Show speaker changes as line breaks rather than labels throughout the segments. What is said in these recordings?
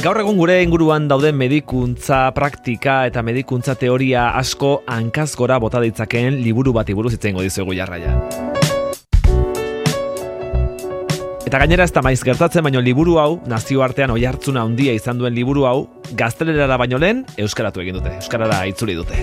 Gaur egun gure inguruan dauden medikuntza praktika eta medikuntza teoria asko hankaz gora bota ditzakeen liburu bati buruz hitz egingo dizuegu jarraian. Eta gainera ez da maiz gertatzen, baino liburu hau, nazioartean oihartzuna handia izan duen liburu hau, gaztelerara baino lehen euskaratu egin dute, euskarara itzuli dute.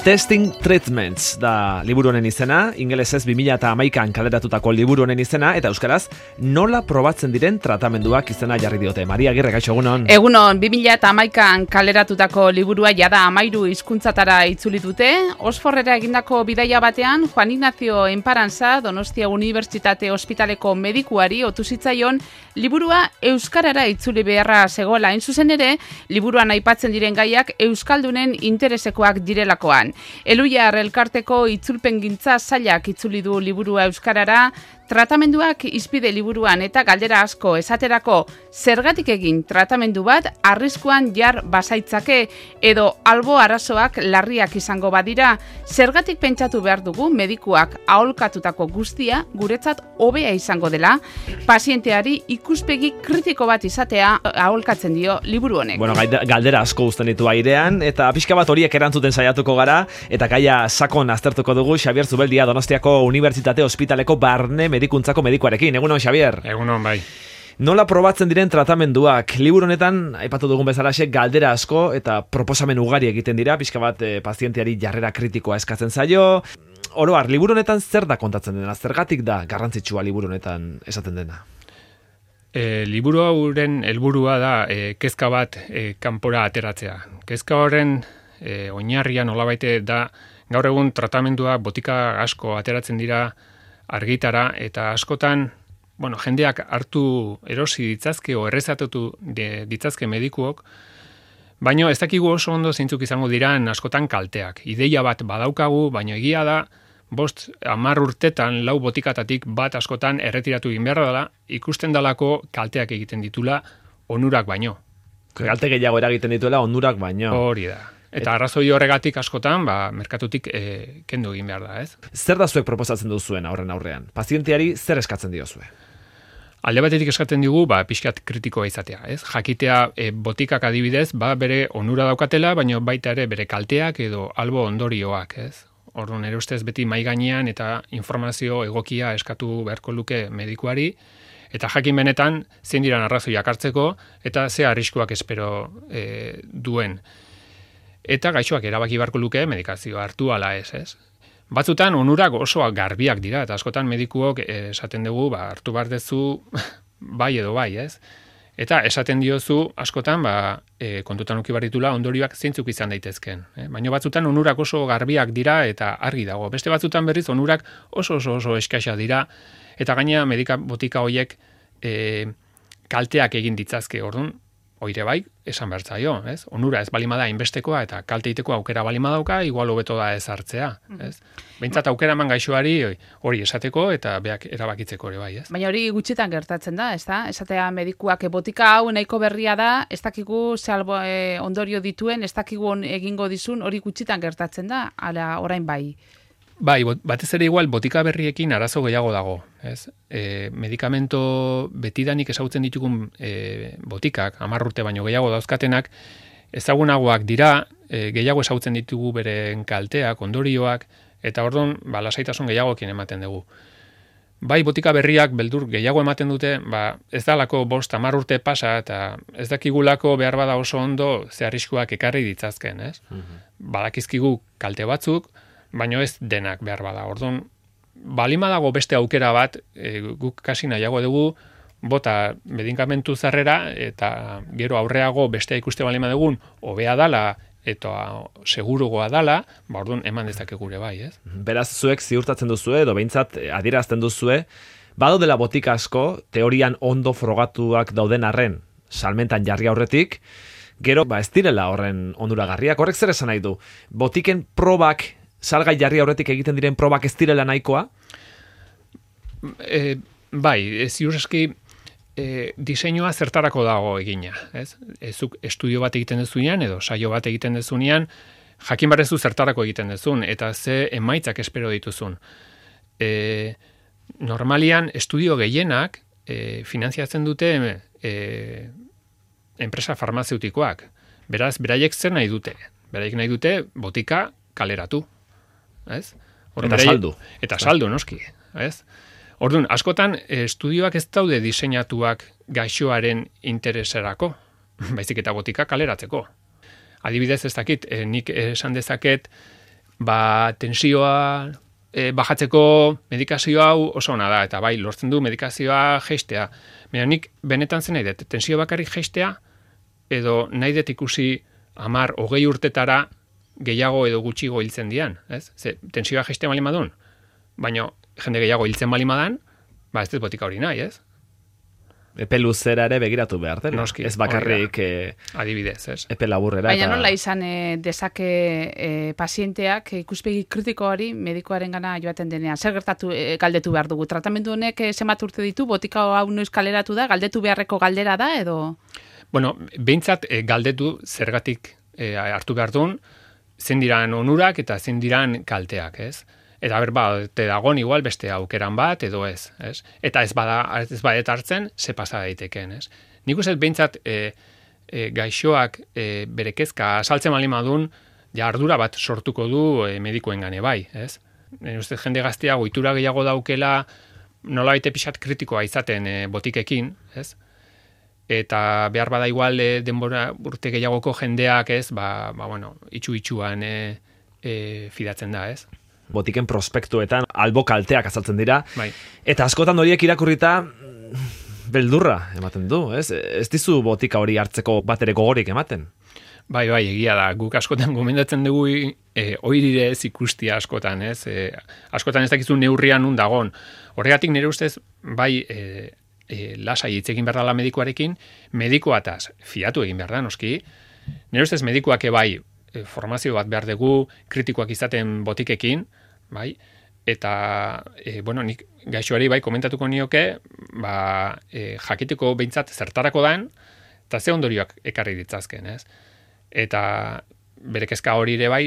Testing Treatments da liburu honen izena, ingelesez 2011an kaleratutako liburu honen izena, eta euskaraz nola probatzen diren tratamenduak izena jarri diote. Maria Agirre, gaixo, egunon.
Egunon, 2011an kaleratutako liburua jada 13 hizkuntzatara itzuli dute. Oxfordera egindako bidaia batean, Juan Ignacio Enparantza, Donostia Unibertsitate Ospitaleko medikuari otu zitzaion liburua euskarara itzuli beharra zegoela. Hain zuzen ere, liburuan aipatzen diren gaiak euskaldunen interesekoak direlakoan. Eluiar elkarteko itzulpengintza sailak itzuli du liburua euskarara, tratamenduak izpide liburuan eta galdera asko esaterako zergatik egin tratamendu bat arriskuan jar bazaitzake edo albo arazoak larriak izango badira, zergatik pentsatu behar dugu medikuak aholkatutako guztia guretzat hobea izango dela, pazienteari ikuspegi kritiko bat izatea aholkatzen dio liburu honek.
Bueno, galdera asko uzten ditu airean, eta pixka bat horiek erantzuten saiatuko gara, eta gaia sakon aztertuko dugu Xabier Zubeldia Donostiako Unibertsitate Ospitaleko barne medikuntzako medikuarekin. Egunon, Xabier?
Egunon, bai.
Nola probatzen diren tratamenduak? Liburu honetan, aipatu dugun bezalaxe, galdera asko eta proposamen ugari egiten dira, pixka bat pazienteari jarrera kritikoa eskatzen zaio. Oro har, liburu honetan zer da kontatzen dena? Zergatik da garrantzitsua liburu honetan esaten dena?
Liburu hauren helburua da kezka bat kanpora ateratzea. Kezka horren oinarrian nolabaite da gaur egun tratamendua botika asko ateratzen dira argitara eta askotan, jendeak hartu erosi ditzazke o errezatatu ditzazke medikuok, baina ez dakigu oso ondo zeintzuk izango diran askotan kalteak. Ideia bat badaukagu, baina egia da 5-10 urtetan 4 botikatatik bat askotan erretiratu egin behar dela, ikusten dalako kalteak egiten ditula onurak baino.
Kalte gehiago eragiten dituela onurak baino.
Hori da. Eta arrazoi horregatik askotan, merkatutik kendu egin behar da, ez?
Zer da zuek proposatzen duzuen horren aurrean? Pazienteari zer eskatzen diozue?
Alde batetik eskatzen digu, pixkat kritikoa izatea, ez? Jakitea botikak adibidez, bere onura daukatela, baina baita ere bere kalteak edo albo ondorioak, ez? Orduan, ere ustez beti mahai gainean eta informazio egokia eskatu beharko luke medikuari, eta jakin benetan zein diran arrazoiak hartzeko eta ze arriskuak espero duen. Eta gaixoak erabaki beharko luke medikazioa hartu ala ez? Batzutan onurak oso garbiak dira, eta askotan medikuok esaten dugu, hartu behar dezu bai edo bai, ez? Eta esaten diozu askotan, kontutan uki baritula ondorioak zeintzuk izan daitezken. Baina batzutan onurak oso garbiak dira eta argi dago. Beste batzutan berriz onurak oso eskaisa dira, eta gaina botika horiek kalteak egin ditzazke, orduan, oire bai, esan behar zaio, ez? Onura ez balimada inbestekoa eta kalteiteko aukera balimadauka, igual hobeto da ez hartzea, ez? Behintzat aukera eman gaixoari hori esateko eta beak erabakitzeko ere bai, ez?
Baina hori gutxitan gertatzen da, ez da? Esatea medikuak botika hau nahiko berria da, ez dakigu salbo ondorio dituen, ez dakigu egingo dizun, hori gutxitan gertatzen da, ala orain bai.
Bai, batez ere igual botika berriekin arazo gehiago dago, ez? Medikamento betidanik ezagutzen ditugun botikak, 10 urte baino gehiago dauzkatenak, ezagunagoak dira, gehiago ezagutzen ditugu beren kalteak, ondorioak, eta orduan, lasaitasun gehiagokin ematen dugu. Bai, botika berriak beldur gehiago ematen dute, ez dalako 5-10 urte pasa, eta ez dakigulako behar bada oso ondo ze arriskuak ekarri ditzazken, ez? Badakizkigu kalte batzuk, baina ez denak behar bada. Orduan, balima dago beste aukera bat, guk kasi nahiago dugu, bota medikamentu zarrera, eta gero aurreago bestea ikuste balima dugun, hobea dala, eta segurugoa dala, orduan eman dezake gure bai, ez?
Beraz, zuek ziurtatzen duzue, edo behintzat adierazten duzue, badaudela botika asko, teorian ondo frogatuak dauden arren, salmentan jarri aurretik, gero, ez direla horren onuragarriak, horrek zer esan nahi du? Botiken probak salgai jarri aurretik egiten diren probak ez direla nahikoa?
Bai, ziur eski diseinua zertarako dago egina, ez? Ezuk estudio bat egiten dezunean edo saio bat egiten dezunean, jakin barrezu zertarako egiten dezun, eta ze emaitzak espero dituzun. Normalian, estudio gehienak finantziatzen dute enpresa farmazeutikoak. Beraz, beraiek zer nahi dute? Beraiek nahi dute botika kaleratu. Ez?
Eta saldu.
Eta saldu, noski. Ez? Orduan, askotan, estudioak ez daude diseinatuak gaixoaren intereserako, baizik eta botika kaleratzeko. Adibidez, ez dakit, nik esan dezaket, tensioa bajatzeko medikazio hau oso ona da, eta bai, lortzen du medikazioa jeistea. Baina nik benetan zen nahi dut, tensio bakarrik jeistea, edo nahi dut ikusi 10-20 urtetara gehiago edo gutxigo hiltzen dian. Ez? Ze, tensioa jeistea bali madun, baina jende gehiago hiltzen bali madan, ez dut botika hori nahi, ez?
Epe luzera ere begiratu behar dela.
Noski,
ez bakarrik
adibidez, ez?
Epe laburrera.
Baina nola izan dezake pazienteak ikuspegi kritikoari medikoaren gana joaten denean. Zer gertatu galdetu behar dugu? Tratamendu honek zenbat urte ditu, botika hau noiz kaleratu da, galdetu beharreko galdera da, edo?
Bueno, behintzat galdetu zergatik hartu behar duen, zein diran onurak eta zein diran kalteak, ez? Eta te dagon igual beste aukeran bat edo ez, ez? Eta ez badet hartzen, ze pasa daiteken, ez? Nik uste behintzat gaixoak bere kezka saltzen bali madun, ja ardura bat sortuko du medikoen gane bai, ez? Uste jende gaztea ohitura gehiago daukela, nola baite pixat kritikoa izaten botikekin, ez? Eta behar bada igual denbora urte gehiagoko jendeak, ez? Itxu-itxuan fidatzen da, ez?
Botiken prospektuetan albo kalteak azaltzen dira.
Bai.
Eta askotan horiek irakurrita beldurra ematen du, ez? Ez dizu botika hori hartzeko bat ere gogorik ematen.
Bai, egia da. Guk askotan gomendatzen dugu oirire ez ikustia askotan, ez? Askotan ez dakizu neurrian nun dagon. Horregatik nire ustez, bai, lasai hitz egin behar dela medikuarekin, medikuataz fiatu egin behar da, noski. Nire ustez medikuak bai, formazio bat behar dugu, kritikoak izaten botikekin, bai, eta, nik gaixoari bai komentatuko nioke, jakiteko behintzat zertarako dan, eta ze ondorioak ekarri ditzazken, ez? Eta bere kezka hori ere bai,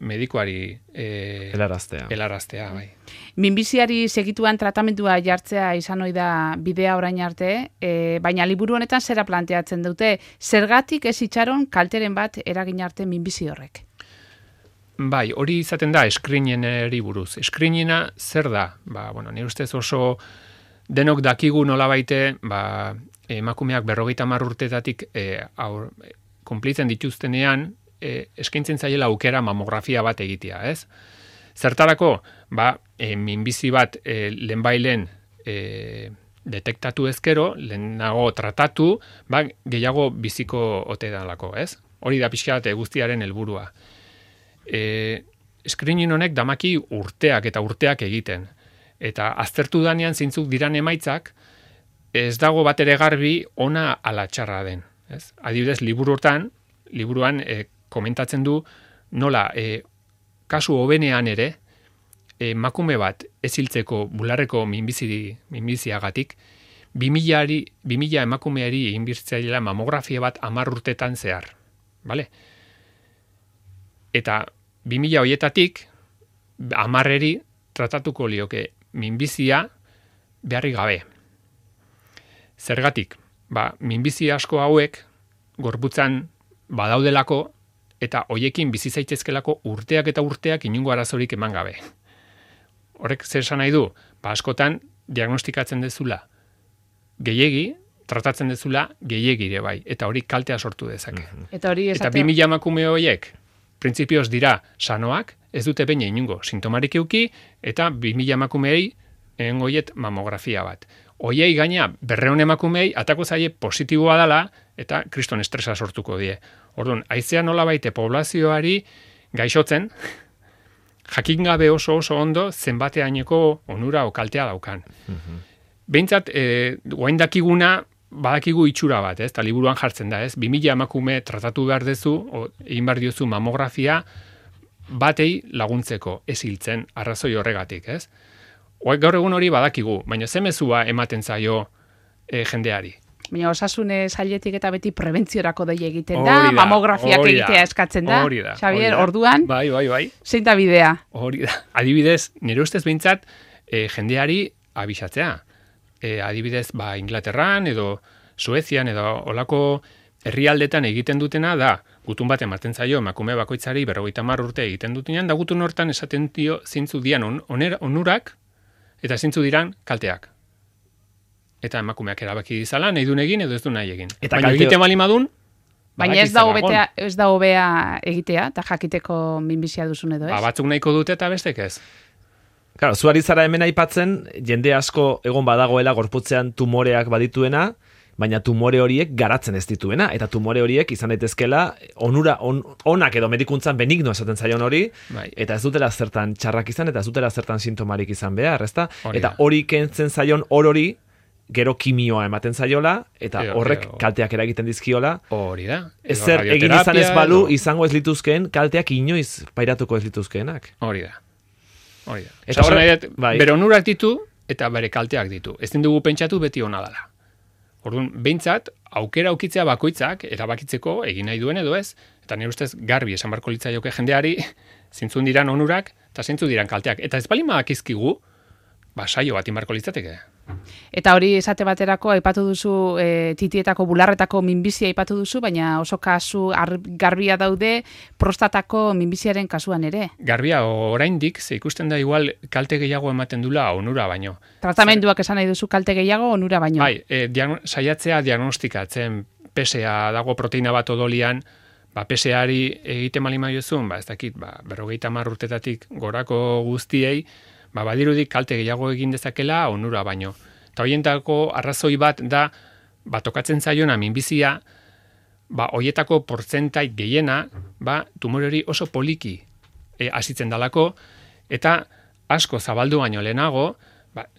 medikuari helaraztea, bai.
Minbiziari segituan tratamendua jartzea izan ohi da bidea orain arte, baina liburu honetan zera planteatzen dute, zergatik ez itxaron kalteren bat eragin arte minbizi horrek?
Bai, hori izaten da screenineri buruz. Screenina zer da? Nire ustez oso denok dakigu nolabaite, emakumeak 50 urtetatik konplitzen dituztenean, eskaintzen zaiela aukera mamografia bat egitea, ez? Zertarako, minbizi bat lehenbailen detektatu ezkero, lehenago tratatu, gehiago biziko ote dalako, ez? Hori da pixka bat guztiaren helburua. Screening honek damaki urteak eta urteak egiten. Eta aztertu danean zeintzuk diran emaitzak, ez dago bat ere garbi ona ala txarra den. Ez? Adibidez, liburuan komentatzen du nola kasu hobenean ere emakume bat ez hiltzeko bularreko minbiziagatik 2000 emakumeari egin birtzaiela mamografia bat 10 urtetan zehar. Vale? Eta 2000 hoietatik 10eri tratatuko lioke minbizia beharri gabe. Zergatik? Minbizi asko hauek gorputzan badaudelako eta hoiekin bizi zaitezkelako urteak eta urteak inongo arazorik eman gabe. Horrek zer esan nahi du? Askotan diagnostikatzen dezula gehiegi, tratatzen dezula gehiegire bai, eta hori kaltea sortu dezake.
Eta
2000 emakume horiek printzipioz dira sanoak, ez dute behin inongo sintomarik euki, eta 2000 emakumeei hoiet mamografia bat. Hoiei gaina 200 emakumei atako zaie positiboa dela eta kriston estresa sortuko die. Orduan, haizea nolabaite poblazioari gaixotzen, jakin gabe oso ondo zenbateaineko onura o kaltea daukan. Behintzat, guain dakiguna badakigu itxura bat, ez? Ta liburuan jartzen da, ez? 2000 emakume tratatu behar dezu, egin behar diozu mamografia batei laguntzeko ez hiltzen arrazoi horregatik, ez? Gaur egun hori badakigu, baina ze mezua ematen zaio jendeari.
Baina osasun sailetik eta beti prebentziorako dei egiten da, mamografiak egitea eskatzen da. Xabier, orduan,
bai.
Zein da bidea?
Hori da. Adibidez, nire ustez behintzat jendeari abisatzea. adibidez, Inglaterran edo Suezian edo olako herrialdetan egiten dutena da, gutun bat ematen zaio emakume bakoitzari 50 urte egiten dutenean, da gutun hortan esaten dio zintzu dian onurak eta zintzu diran kalteak. Eta emakumeak erabaki dizala, nahi duen egin edo ez du nahi egin.
Eta
baina egiten bali madun,
baina ez da hobea egitea, eta jakiteko minbizia duzun edo ez?
Batzuk nahiko dute eta bestek ez.
Claro, zuari zara hemen aipatzen, jende asko egon badagoela gorputzean tumoreak badituena, baina tumore horiek garatzen ez dituena, eta tumore horiek izan daitezkela onak edo medikuntzan benigno esaten zaion hori, eta ez dutela zertan txarrak izan, eta ez dutela zertan sintomarik izan behar, ezta? Eta hori kentzen zaion hori, gero kimioa ematen zaiola, eta horrek kalteak eragiten dizkiola.
Hori da.
Ezer egin izan ez balu, izango ez lituzkeen, kalteak inoiz pairatuko ez lituzkeenak.
Hori da. Eta horrek, bere onurak ditu, eta bere kalteak ditu. Ez dugu pentsatu beti ona dela. Orduan, behintzat, aukera aukitzea bakoitzak, erabakitzeko egin nahi duen edo ez, eta nire ustez garbi esan barko litzaioke jendeari, zintzun diran onurak, eta zintzu diran kalteak. Eta ez bali madakizkigu, saio bat inbarko litzateke.
Eta hori esate baterako aipatu duzu titietako bularretako minbizia aipatu duzu, baina oso kasu garbia daude prostatako minbiziaren kasuan ere.
Garbia oraindik ze ikusten da igual kalte gehiago ematen dula onura baino.
Tratamenduak esan nahi duzu kalte gehiago onura baino.
Bai, saiatzea diagnostikatzen PSA dago proteina bat odolian, PSA-ari egiten bali maiozun, ez dakit, 50 urtetatik gorako guztiei, badirudik kalte gehiago egin dezakela onura baino. Eta horientako arrazoi bat da, tokatzen zaiona minbizia, horietako portzentai gehiena, tumore hori oso poliki hasitzen dalako, eta asko zabaldu baino lehenago,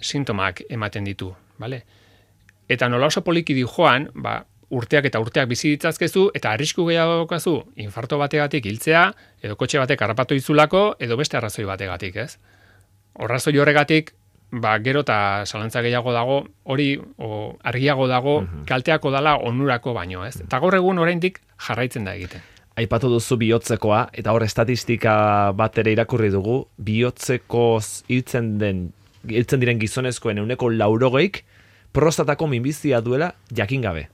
sintomak ematen ditu. Vale? Eta nola oso poliki di joan, urteak eta urteak bizi ditzazkezu, eta arrisku gehiago daukazu, infarto bategatik hiltzea, edo kotxe batek harrapatu izulako, edo beste arrazoi bategatik, ez? Horrazoi horregatik, gero eta zalantza gehiago dago, hori argiago dago, kalteako dala onurako baino, ez? Eta gaur egun oraindik jarraitzen da egiten.
Aipatu duzu bihotzekoa, eta hor estatistika bat ere irakurri dugu, bihotzekoz hiltzen diren gizonezkoen 80%, prostatako minbizia duela jakin gabe.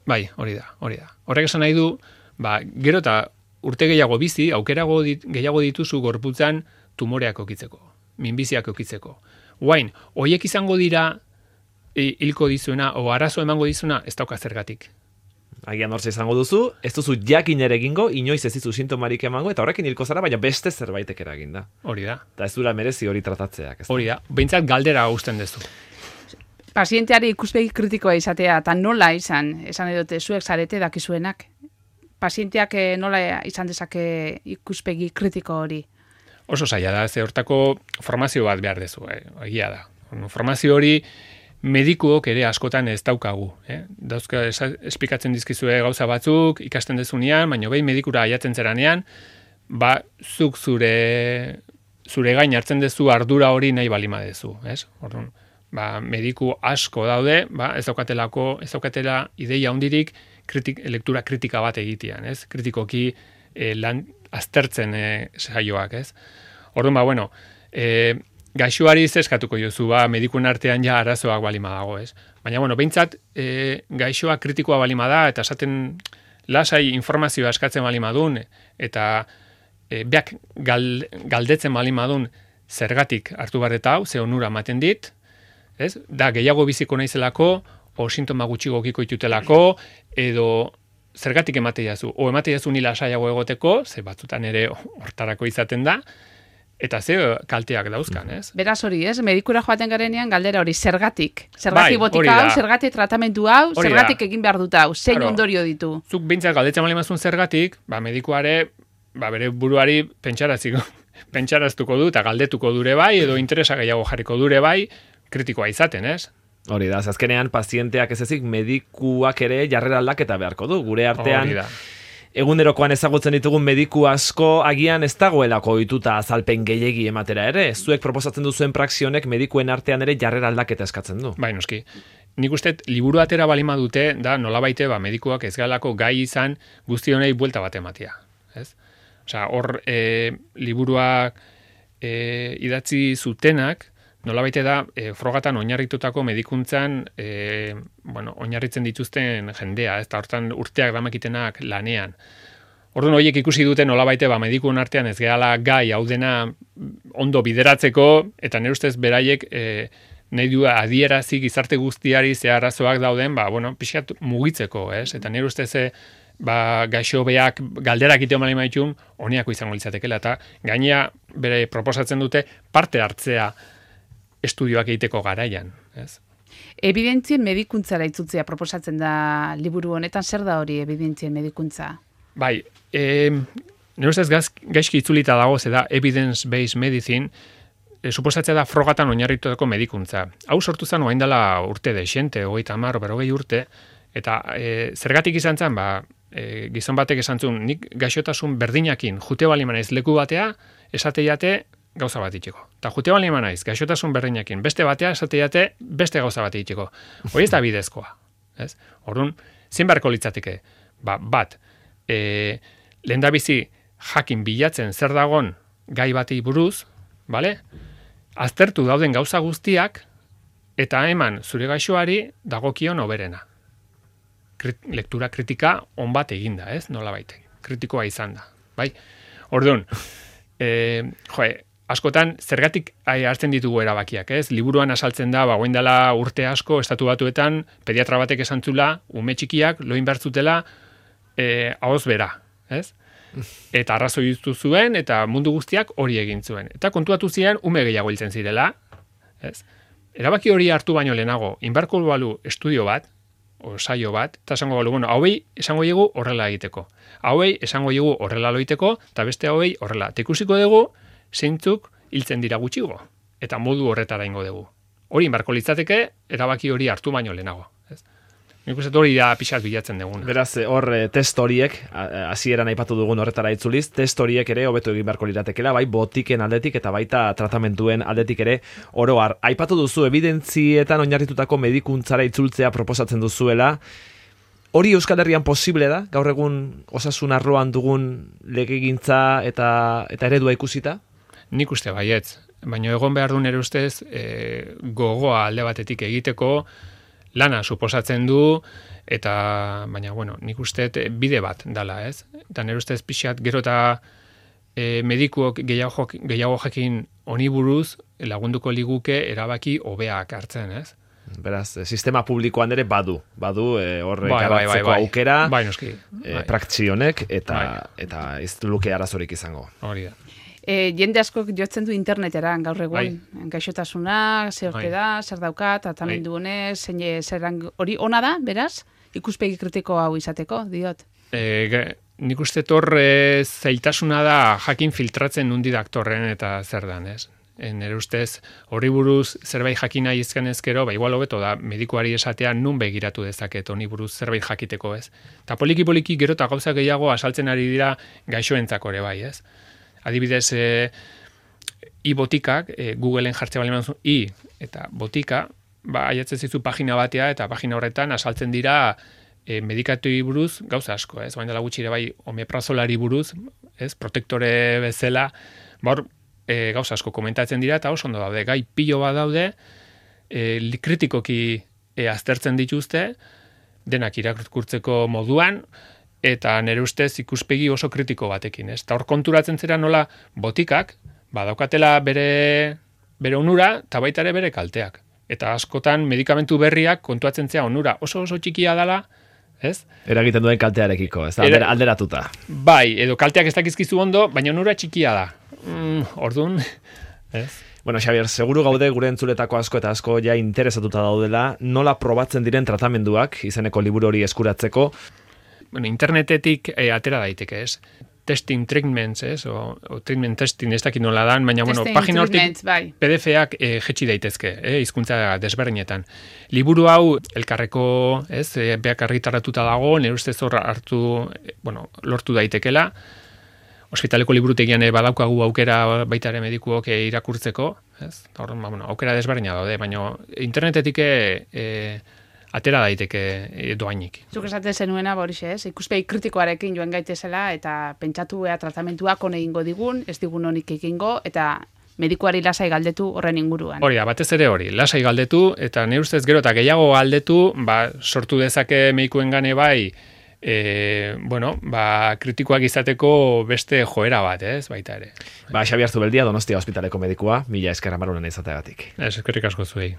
Bai, hori da. Horrek esan nahi du, gero eta urte gehiago bizi, aukerago gehiago dituzu gorputzan tumoreak okitzeko, minbiziak okitzeko. Guain, hoiek izango dira hilko dizuena, o arazo emango dizuna, ez dauka zergatik.
Agian hortze izango duzu, ez duzu jakin ere egingo, inoiz ez dizu sintomarik emango, eta horrekin hilko zara, baina beste zerbaitek eragin da.
Hori da.
Eta ez dura merezi hori tratatzeak.
Hori da, behintzat galdera hausten dezu.
Pazienteari ikuspegi kritikoa izatea, eta nola esan edote, zuek zarete dakizuenak. Pazienteak nola izan dezake ikuspegi kritiko hori?
Oso zaila da, ze hortako formazio bat behar dezu, egia da. Formazio hori medikuok ere askotan ez daukagu. Dauzka esplikatzen dizkizue gauza batzuk, ikasten dezunean, baina behin medikura aiatzen zeranean, zuk zure gain hartzen dezu ardura hori nahi balima dezu. Orduan, mediku asko daude, ez daukatela ideia hondirik lektura kritika bat egitean, kritikoki lan aztertzen saioak, Orduan, gaixoari zeskatuko jozu, medikuen artean ja arazoak balima dago, Baina, behintzat, gaixoa kritikoa balima da, eta esaten lasai informazioa eskatzen balima dun, eta beak galdetzen balima dun zergatik hartu barreta hau, ze onura ematen dit, da gehiago biziko naizelako, o sintoma gutxigo okiko itutelako, edo zergatik emate jazu, o emate jazu nila saiago egoteko, ze batzutan ere hortarako izaten da, eta ze kalteak dauzkan,
Beraz hori, medikura joaten garenean galdera hori, zergatik botika hau, zergatik tratamendu hau, zergatik egin behar dut hau, zein ondorio ditu.
Zuk bintzak galdetzen balimazun zergatik, medikuare, bere buruari pentsaraztuko du, eta galdetuko dure bai, edo interesa gehiago jarriko dure bai, kritikoa izaten,
Hori da, azkenean pazienteak ez ezik medikuak ere jarrera aldaketa beharko du. Gure artean egunerokoan ezagutzen ditugun mediku asko agian ez dagoelako ohituta azalpen gehiegi ematera ere. Zuek proposatzen duzuen praxionek medikuen artean ere jarrera aldaketa eskatzen du.
Bai, noski. Nik uste liburu atera balima dute, da nolabaite medikuak ez galako gai izan guzti honei buelta bat ematea. Hor liburuak idatzi zutenak, nolabait da frogatan oinarritutako medikuntzan oinarritzen dituzten jendea, ez da hortan urteak damakitenak lanean. Orduan horiek ikusi dute nolabait medikuen artean ez gehala gai hau dena ondo bideratzeko, eta nire ustez beraiek nahi du adierazi gizarte guztiari ze arazoak dauden, pixkat mugitzeko, ez? Eta nire ustez gaixo beak galderak ite omali maitun, honiako izango litzatekela, eta gainea bere proposatzen dute parte hartzea estudioak egiteko garaian, ez?
Evidentzien medikuntzara itzultzea proposatzen da liburu honetan, zer da hori evidentzien medikuntza?
Bai, nire ustez gaizki itzulita dago, da evidence-based medicine, suposatzea da frogatan oinarritutako medikuntza. Hau sortu zen orain dela urte dexente, 30, 40 urte, eta zergatik izan zen, gizon batek esan zuen, nik gaixotasun berdinakin jute bali manaiz leku batea, esateiate gauza bat itxeko. Eta jute bali manaiz, gaixotasun berdinakin beste batea, esateiate beste gauza bat itxeko. Hori ez da bidezkoa. Orduan, zein beharko litzateke? Bat, lehendabizi jakin bilatzen zer dagon gai batei buruz, bale? Aztertu dauden gauza guztiak, eta eman zure gaixoari dagokion hoberena. Lektura kritika on bat eginda, ez? Nolabait, kritikoa izan da, bai? Orduan, askotan zergatik hartzen ditugu erabakiak, ez? Liburuan asaltzen da, goain dela urte asko estatu batuetan pediatra batek esan zula, ume txikiak loin bertzutela ahoz bera, ez? Eta arrazoi duztu zuen, eta mundu guztiak hori egin zuen. Eta kontuatu ziren, ume gehiago hiltzen zirela, ez? Erabaki hori hartu baino lehenago, inbarko balu estudio bat, o saio bat, eta esango balu, hauei esango dugu horrela egiteko. Hauei esango dugu horrela loiteko, eta beste hauei horrela. Eta ikusiko dugu, zeintzuk hiltzen dira gutxigo, eta modu horretara ingo dugu. Hori inbarko litzateke, erabaki hori hartu baino lehenago. Nik uste hori da pixat bilatzen dugun.
Beraz, hor test horiek, hasieran aipatu dugun horretara itzuliz, test horiek ere hobeto egin beharko liratekela, bai botiken aldetik eta baita tratamenduen aldetik ere oro har. Aipatu duzu evidentzietan oinarritutako medikuntzara itzultzea proposatzen duzuela. Hori Euskal Herrian posible da? Gaur egun osasun arloan dugun legegintza eta eredua ikusita?
Nik uste baietz. Baina egon behar duen ere ustez gogoa alde batetik egiteko, lana suposatzen du, baina, nik uste bide bat dala, ez? Eta nire ustez pixat, gero eta medikuok gehiago jakin honi buruz lagunduko liguke erabaki hobeak hartzen, ez?
Beraz, sistema publikoan ere badu hor garatzeko aukera, praktzi honek, eta ez luke arazorik izango.
Hori da.
Jende askok jotzen du internetera gaur egun, gaixotasuna, zer orte da, zer dauka, tratamendu honez, hori ona da, beraz? Ikuspegi kritiko hau izateko, diot?
Nik uste zailtasuna da jakin filtratzen nundi daktorren eta zer dan, ez? Nire ustez, hori buruz zerbait jakina izken ezkero, igual hobeto da, medikuari esatea nun begiratu dezaket honi buruz zerbait jakiteko, ez? Eta poliki gero eta gauza gehiago asaltzen ari dira gaixoentzako ere bai, ez? Adibidez, i-botikak, Googleen jartzea bali manzun, i eta botika, aiatzen zizu pagina batea, eta pagina horretan asaltzen dira medikatui buruz gauza asko, ez? Baina dela gutxi ere bai omeprazolari buruz, ez? Protektore bezala, gauza asko komentatzen dira, eta oso ondo daude, gai pilo bat daude, kritikoki aztertzen dituzte, denak irakurtzeko moduan, eta nire ustez ikuspegi oso kritiko batekin, ez? Eta hor konturatzen zera nola botikak, badaukatela bere onura, eta baita ere bere kalteak. Eta askotan medikamentu berriak kontuatzen zera onura oso txikia dela, ez?
Eragiten duen kaltearekiko, ez da, alderatuta.
Bai, edo kalteak ez dakizkizu ondo, baina onura txikia da. Orduan, ez?
Bueno, Xabier, seguru gaude gure entzuletako asko eta asko ja interesatuta daudela, nola probatzen diren tratamenduak, izeneko liburu hori eskuratzeko.
Internetetik atera daiteke, ez? Testing treatments, ez? O treatment testing, ez dakit nola dan, baina, pagina hortik PDF-ak jetxi daitezke, hizkuntza desberdinetan. Liburu hau, elkarreko, ez? Beak argitaratuta dago, nire ustez hor lortu daitekela. Ospitaleko liburutegian badaukagu aukera baita ere medikuok irakurtzeko, ez? Hor, aukera desberdina daude, baina internetetik atera daiteke doainik.
Zuk esaten zenuena, Borixe, ez? Ikuspegi kritikoarekin joan gaitezela eta pentsatu tratamentuak on egingo digun, ez digun honik egingo, eta medikuari lasai galdetu horren inguruan.
Hori da, batez ere hori, lasai galdetu, eta nire ustez gero eta gehiago galdetu, sortu dezake medikuen gane bai, kritikoak izateko beste joera bat, baita ere.
Xabier Zubeldia, Donostia Ospitaleko medikua, mila esker Amarunen izateagatik.
Eskerrik asko zuei.